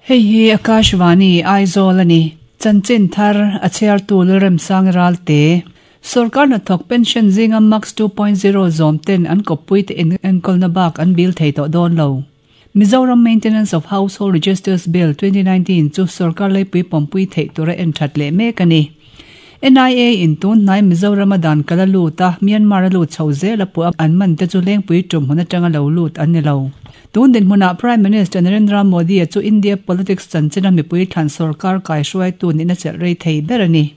Hei hi Akashvani, Aizawl a ni. Chanchin thar, a chhiartu Lalremsang Ralte. Sorkar hnathawk pension zinga Max 2.0 zawm ten an kawppui te enkawlna bak an bil thei tawh dawn lo. Mizoram Maintenance of Household Registers Bill 2019 chu sorkar leipui pawmpui theih tura en that leh mek a ni. NIA in tun hnai Mizorama dan kal a lut a, Myanmar a lut chho zel a puh a, an man te chu Lengpui tum hmun atanga lo lut an ni lo. Tun dinhmunah Prime Minister Narendra Modi-a chu India politics chanchina mipui thlan sorkar kaihruaitu nihna chelh rei thei ber a ni.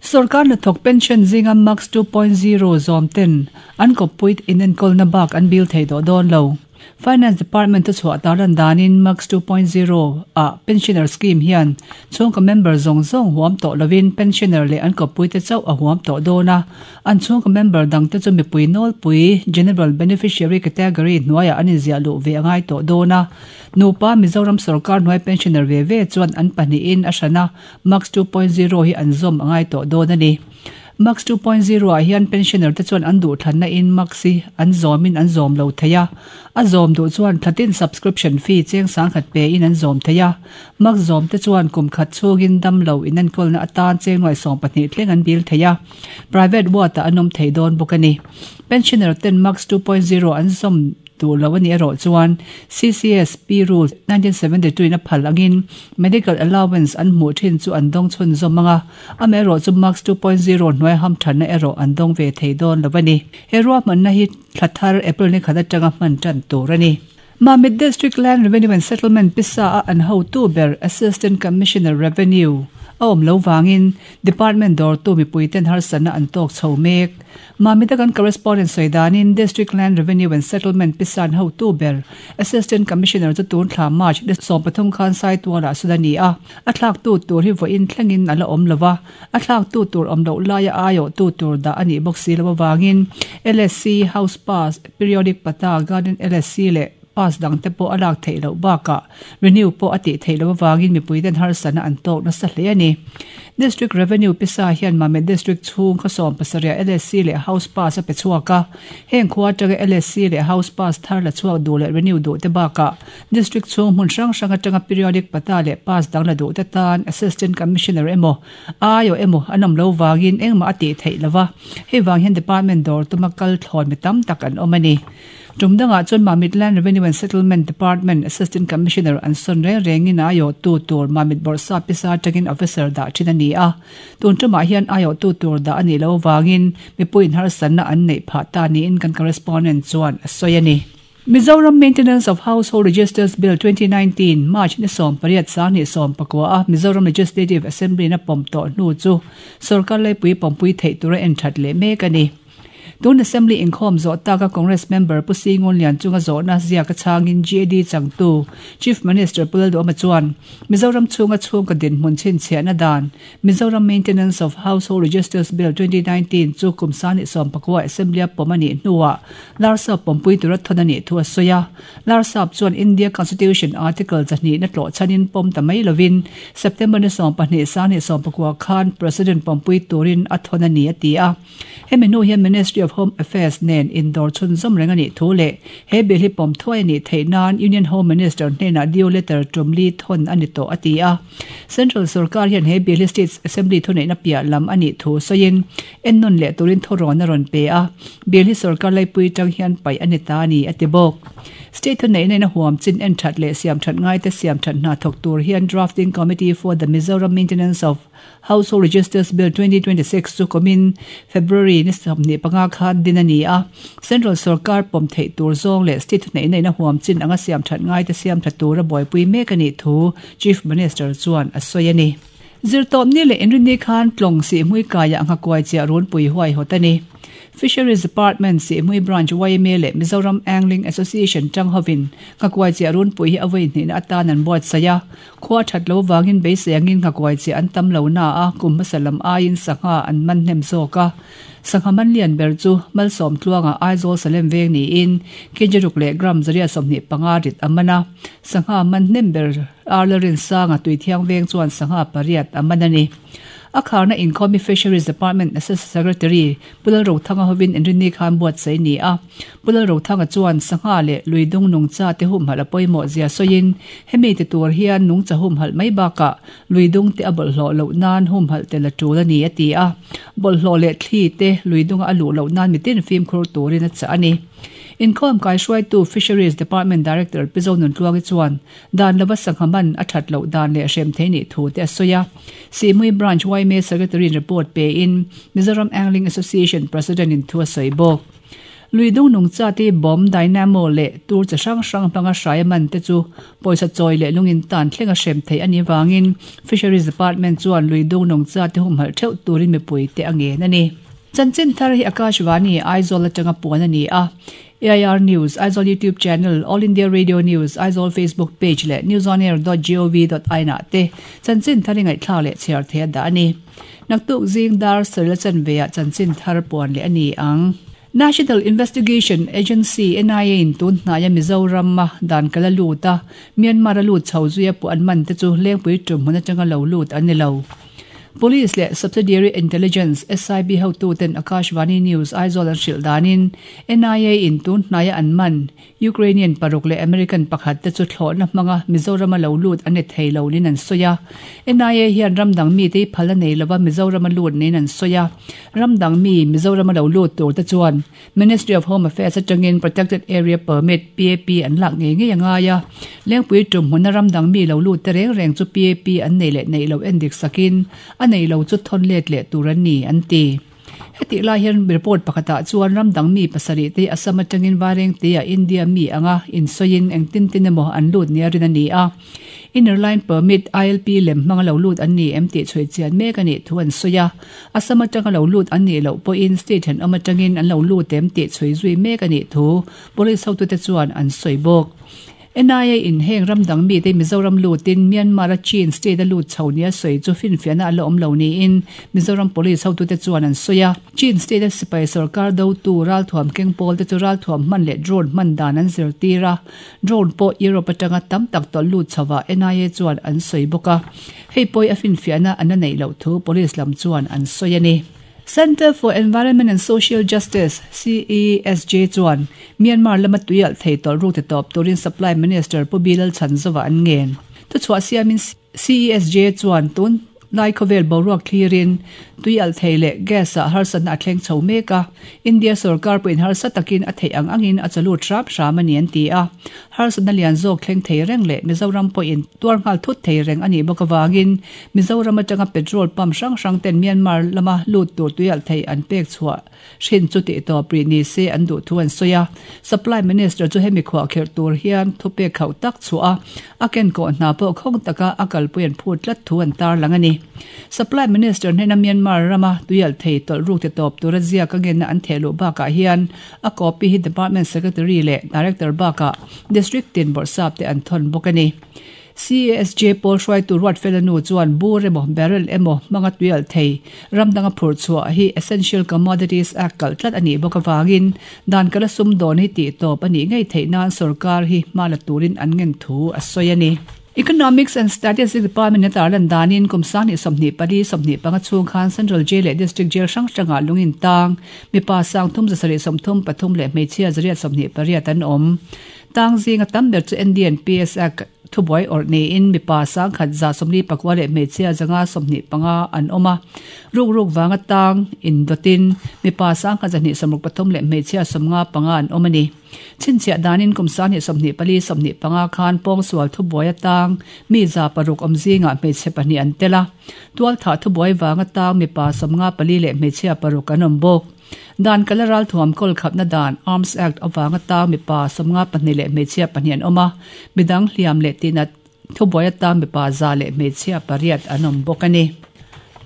Sorkar hnathawk pension zinga Max 2.0 zawm ten an kawppui inenkawlna bak an bil thei tawh dawn lo. Finance Department thuchhuah tarlan danin Max 2.0 ah pensioner scheme hian chhungkaw member zawng zawng huam tawh lovin pensioner leh an kawppuite chauh a huam tawh dawn a, an chhungkaw member dangte chu mipui nawlpui general beneficiary category hnuaiah an inziah luh ve a ngai tawh dawn a. Nupa Mizoram sorkar hnuai pensioner ve ve chuan an pahnihin a hran a, Max 2.0 hi an zawm a ngai tawh dawn a ni. Max 2.0 ah hian pensioner te chuan an duhthlanna in Max hi an zawm in an zawm lo thei a. A zawm duh chuan thlatin subscription fee cheng sangkhat pe in an zawm thei a. Max zawm te chuan kum khat chhungin dam lo inenkawlna atan cheng nuai 12 thleng an bil thei a. Private ward ah an awm thei dawn bawk a ni. Pensioner ten Max 2.0 an zawm duh lo a nih erawh chuan CCSP Rule 1972 in a phal angin medical allowance an hmuh thin chu an dawng chhunzawm ang a, amaherawh chu Max 2.0 hnuai hamthanna erawh an dawng ve thei dawn lo a ni. He ruahmanna hi thla thar April ni khat atanga hman tan tur a ni. Mamit District Land Revenue and Settlement pisa a an hotu ber Assistant Commissioner Revenue a awm lo vangin Department dawrtu mipuiten harsatna an tawk chho mek. Mamita kan correspondent sawi danin District Land Revenue and Settlement pisan hotu ber Assistant Commissioner chu tun thla March ni 13 khan Saitualah sawn a ni a, a thlaktu tur hi vawiin thlengin a la awm lo va, a thlaktu tur awm loh laia aiawhtu tur dah a nih bawk si lo avangin LSC, House Pass, Periodic Patta, Garden LSC leh Pass dang te pawh a lak theih loh bakah renew pawh a tih theih loh avangin mipuiten harsatna an tawk nasa hle a ni. District Revenue pisa hian Mamit District chhung khaw 70 ah LSC leh House Pass a pe chhuak a, heng khua atanga LSC leh House Pass thar la chhuak duh leh renew duh te bakah District chhung hmun hrang hrang atanga Periodic Patta leh Pass dang la duh te tan Assistant Commissioner emaw aiawh emaw an awm lo vangin engmah a tih theih lo va, hei vang hian Department dawr tuma kal thlawn mi tam tak an awm a ni. Tum dangah chuan Mamit Land Revenue and Settlement Department Assistant Commissioner an sawn reng rengin a aiawhtu tur Mamit Bawrhsap pisa atangin officer dah thin a ni a. Tun tumah hian aiawhtu tur dah a nih loh avangin mipuiin harsatna an neih phah ta niin kan correspondent chuan a sawi a ni. Mizoram Maintenance of Household Registers Bill 2019, March ni 18 2019 a Mizoram Legislative Assembly in a pawm tawh hnu chu sorkar leipui pawmpui theih tura en that leh mek a ni. Tun Assembly inkhawm zawh taka Congress member Pu Singun Lian chunga zawhna ziak a chhangin GAD changtu Chief Minister Pu Lalduhoma chuan Mizoram chhunga chhungkaw dinhmun chhinchhiahna dan Mizoram Maintenance of Household Registers Bill 2019 chu kum sani 19 Assembly-a pawm a nih hnuah Larsap pawmpui tura thawn a nih thu a sawi a. Larsap chuan India Constitution Article 2 na tlawh chhanin pawm ta mai lovin September ni 12 sani 19 khan President pawmpui turin a thawn a ni a ti a. Hemi hnu hian Ministry of Home Affairs nen indawr chhunzawm reng a nih thu leh he bill hi pawm thuai a nih theih nan Union Home Minister hnenah due letter tum li thawn a ni tawh a ti a. Central sorkar hian he bill hi State Assembly thuneihna piah lam a nih thu sawiin ennawn leh turin thawrawn a rawn pe a, bill hi sorkar laipui tang hian paih a ni ta a ni a ti bawk. State thuneihna in a huam chin en that leh siam that ngaite siam that hna thawk tur hian Drafting Committee for the Mizoram Maintenance of Household Registers Bill 2026 chu kumin February ni 25 khan din a ni a, Central sorkar pawm theih tur zawng leh state thuneihna in a huam chin anga siam that ngaite siam tha tura buaipui mek a nih thu Chief Minister chuan a sawi a ni. Zirtawpni leh inrinni khan Tlawng Sihhmui kaiah nghakuai chiah runpui huaihawt a ni. Fisheries Department Sihhmui Branch yma leh Mizoram Angling Association tang hovin nghakuai chiah runpui hi a vawi hnihna atan an buatsaih a. Khua that lo vangin beisei angin nghakuai chiah an tam lo na a, kum hmasa lam aiin sangha an man hnem zawk a. Sangha man lian ber chu Malsawm tluangah Aizawl Salem veng niin kg ruk leh gram 125 rit a man a. Sangha man hnem ber Arla Rinsanga Tuithiang veng chuan sangha pariat a man a ni. A kharna inkhawm hi Fisheries Department Assistant Secretary Pu Lalrothanga hovin Inrinni khan buatsaih ni a. Pu Lalrothanga chuan sangha leh lui dung nungcha te humhalh a pawimawh zia sawiin hemi ti tur hian nungcha humhalh mai bakah lui dung te a bawlhhlawh loh nan humhalh tel a tul a ni a ti a. Bawlhhlawh leh thli te lui dunga a luh loh nan mitin fimkhur turin a chah a ni. Inkhawm kaihruaitu Fisheries Department Director Pi Zonuntluangi chuan Dan lova sangha man a that loh dan leh hrem thei nih thu te a sawi a. Sihmui Branch yma Secretary-in report pein Mizoram Angling Association President-in thu a sawi bawk. Lui dung nungcha te bomb, dynamo leh tur chi hrang hrang hmanga hrai a man te chu pawisa chawi leh lungin tan thleng a hrem theih a nih vangin Fisheries Department chuan lui dung nungcha te humhalh theuh turin mipui te a ngen a ni. Chanchin thar hi Akashvani, Aizawl atanga puan a ni a. AIR News, Aizawl YouTube Channel, All India Radio News, Aizawl Facebook Page leh newsonair dot gov dot in ah te chanchin thar i ngaihthlak leh chhiar thei a dah a ni. Naktuk zing dar sarila chanve ah chanchin thar puan leh a ni ang. National Investigation Agency, NIA, in tun hnaia Mizoram a dan kal a lut a, Myanmar a lut chho zuia puh an man te chu Lengpui tum hmun atanga lo lut an ni lo. Police leh Subsidiary Intelligence, SIB, hotuten Akashvani News, Aizawl an hrilh danin NIA in tun hnaia an man Ukrainian paruk leh American pakhat te chu thlawhna hmanga Mizorama lo lut an ni thei lo niin an sawi a. NIA hian ram dang mite hi phal a nei lova Mizorama lut niin an sawi a. Ram dang mi Mizorama lo lut tur te chuan Ministry of Home Affairs atangin Protected Area Permit, PAP, an lak ngei ngei a ngai a. Lengpui tum hmuna ram dang mi lo lut te reng reng chu PAP an nei leh neih loh endik sakin a nei lo chu thawn let leh tur an ni, an ti. Hetih lai hian report pakhatah chuan ram dang mi pasarih te Assam atangin Vairengte-ah India mi anga insawiin engtin tin emaw an lut nia rin a ni a. Inner Line Permit, ILP, lem hmanga lo lut an ni em tih chhui chian mek a nih thu an sawi a. Assam atanga lo lut an nih loh pawhin state thenawm atangin an lo lut em tih chhui zui mek a nih thu Police hotute chuan an sawi bawk. NIA in heng ram dang mite Mizoram lutin Myanmar a Chin state a lut chho nia sawi chu finfiahna a la awm lo niin Mizoram Police hotute chuan an sawi a. Chin state a sipai sorkar dotu ralthuam keng pawl te chu ralthuam hman leh drone hman dan an zirtir a, drone pawh Europe atanga tam tak tawlh lut chhovah NIA chuan an sawi bawk a. Hei pawhi a finfiahna an la neih loh thu Police lam chuan an sawi a ni. Centre for Environment and Social Justice, CESJ, chuan Myanmar lama tuialh thei tawlh ruk ti tawp turin Supply Minister Pu Bilal Chhanzova an ngen. Thuchhuah siamin CESJ chuan tun lai khawvel boruak thlirin tuialh thei leh gas ah harsatna a thleng chho mek a, India sorkar pawhin harsa takin a theih ang angin a chalut hram hram a ni an ti a. Harsatna lian zawk thleng thei reng leh Mizoram pawhin tuar nghal thut thei reng a nih bawk avangin Mizoram atanga petrol pump hrang hrang ten Myanmar lama lut tur tuialh thei an pek chhuah hrin chu tih tawp rih ni se an duh thu an sawi a. Supply Minister chu hemi khuah kherh tur hian thupek khauh tak chhuah a, a kenkawh hna pawh khawng taka a kalpui an phut tlat thu an tarlang a ni. Supply Minister hnena Myanmar rama tuialh thei tawlh ruk ti tawp tura ziak a ngenna an theh luh bakah hian a copy hi Department Secretary leh Director bakah District tin bawrhsap te an thawn bawk a ni. CASJ pawl hruaitu Ruatfela nu chuan bur emaw barrel emaw hmanga tuialh thei ram danga phurh chhuah hi Essential Commodities Act kalh tlat a nih bawk avangin dan kala sum dawn hi tih tawp a nih ngei theih nan sorkar hi hma la turin an ngen thu a sawi a ni. Economics and Statistics Department a tarlan danin kum 2024 25 chhung khan Central Jail leh District Jail hrang hrangah lungin tang mipa 3333 leh hmeichhia 128 an awm. Tang zinga tam ber chu NDNPS Act thubuai awrh niin mipa 1149 leh hmeichhia 125 an awm a. Ruk ruk vanga tang indawtin mipa 1263 leh hmeichhia 55 an awm a ni. Chhinchhiah danin kum 2024 25 khan pawngsual thubuai atang mi 600 awm zingah hmeichhe pahnih an tel a. Tualthah thubuai vanga tang mipa 54 leh hmeichhia paruk an awm bawk. Dan kala ralthuam kawl khapna dan, Arms Act, avanga tang mipa 52 leh hmeichhia pahnih an awm a, midang hliam leh tihnat thubuai atan mipa 100 leh hmeichhia pariat an awm bawk a ni.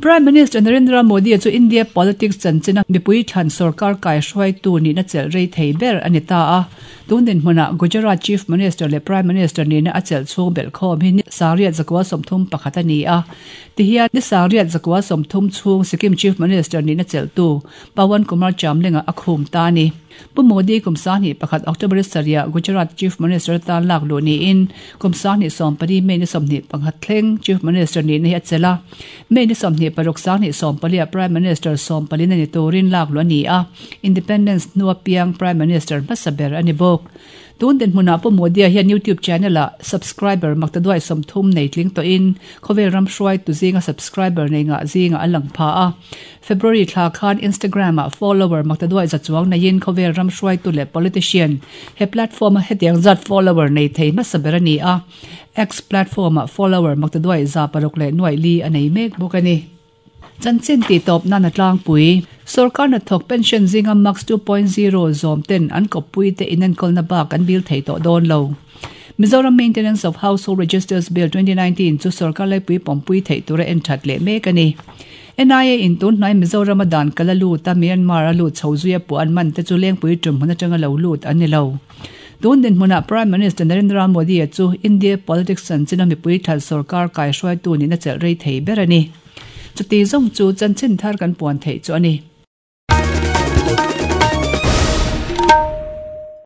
Prime Minister Narendra Modi chu India politics chanchina mipui thlan sorkar kaihruaitu nihna chelh rei thei ber a ni ta a. Tun dinhmunah Gujarat Chief Minister leh Prime Minister nihna a chelh chhung belhkhawm hi ni 9,031 a ni a. Tihian ni 9,030 chhung Sikkim Chief Minister nihna chelhtu Pawan Kumar Chamling-a a khum ta a ni. Pu Modi kum 21 October sarih Gujarat Chief Minister atan lak luh niin kum 24 May ni 21 thleng Chief Minister nihna hi a chelh a. May ni 24 26 2014 ah Prime Minister sawmpalina ni turin lak luh a ni a, Independence hnua piang Prime Minister hmasa ber a ni bawk. Tun dinhmunah Pu Modi-a hian YouTube channel-ah subscriber maktaduai 30 nei tling tawhin khawvel ram hruaitu zinga subscriber nei ngah zingah a lang pha a. February thla khan Instagram-ah follower maktaduai za chuang neiin khawvel ram hruaitu leh politician he platform-a hetiang zat follower nei thei hmasa ber a ni a. X platform-ah follower maktaduai 604 a nei mek bawk a ni. Chanchin tihtawp nan a tlangpui. Sorkar hnathawk pension zinga Max 2.0 zawm ten an kawppui te inenkawlna bak an bil thei tawh dawn lo. Mizoram Maintenance of Household Registers Bill 2019 chu sorkar laipui pawmpui theih tura en that leh mek a ni. NIA in tun hnai Mizorama dan kal a lut a, Myanmar a lut chho zuia puah an man te chu Lengpui tumhmun atanga lo lut an ni lo. Tun dinhmunah Prime Minister Narendra Modi-a chu India politics chanchina mipui thal sorkar kaihruaitu nihna chelh rei thei ber a ni. Chuti zawng chu chanchin thar kan puan theih chu a ni.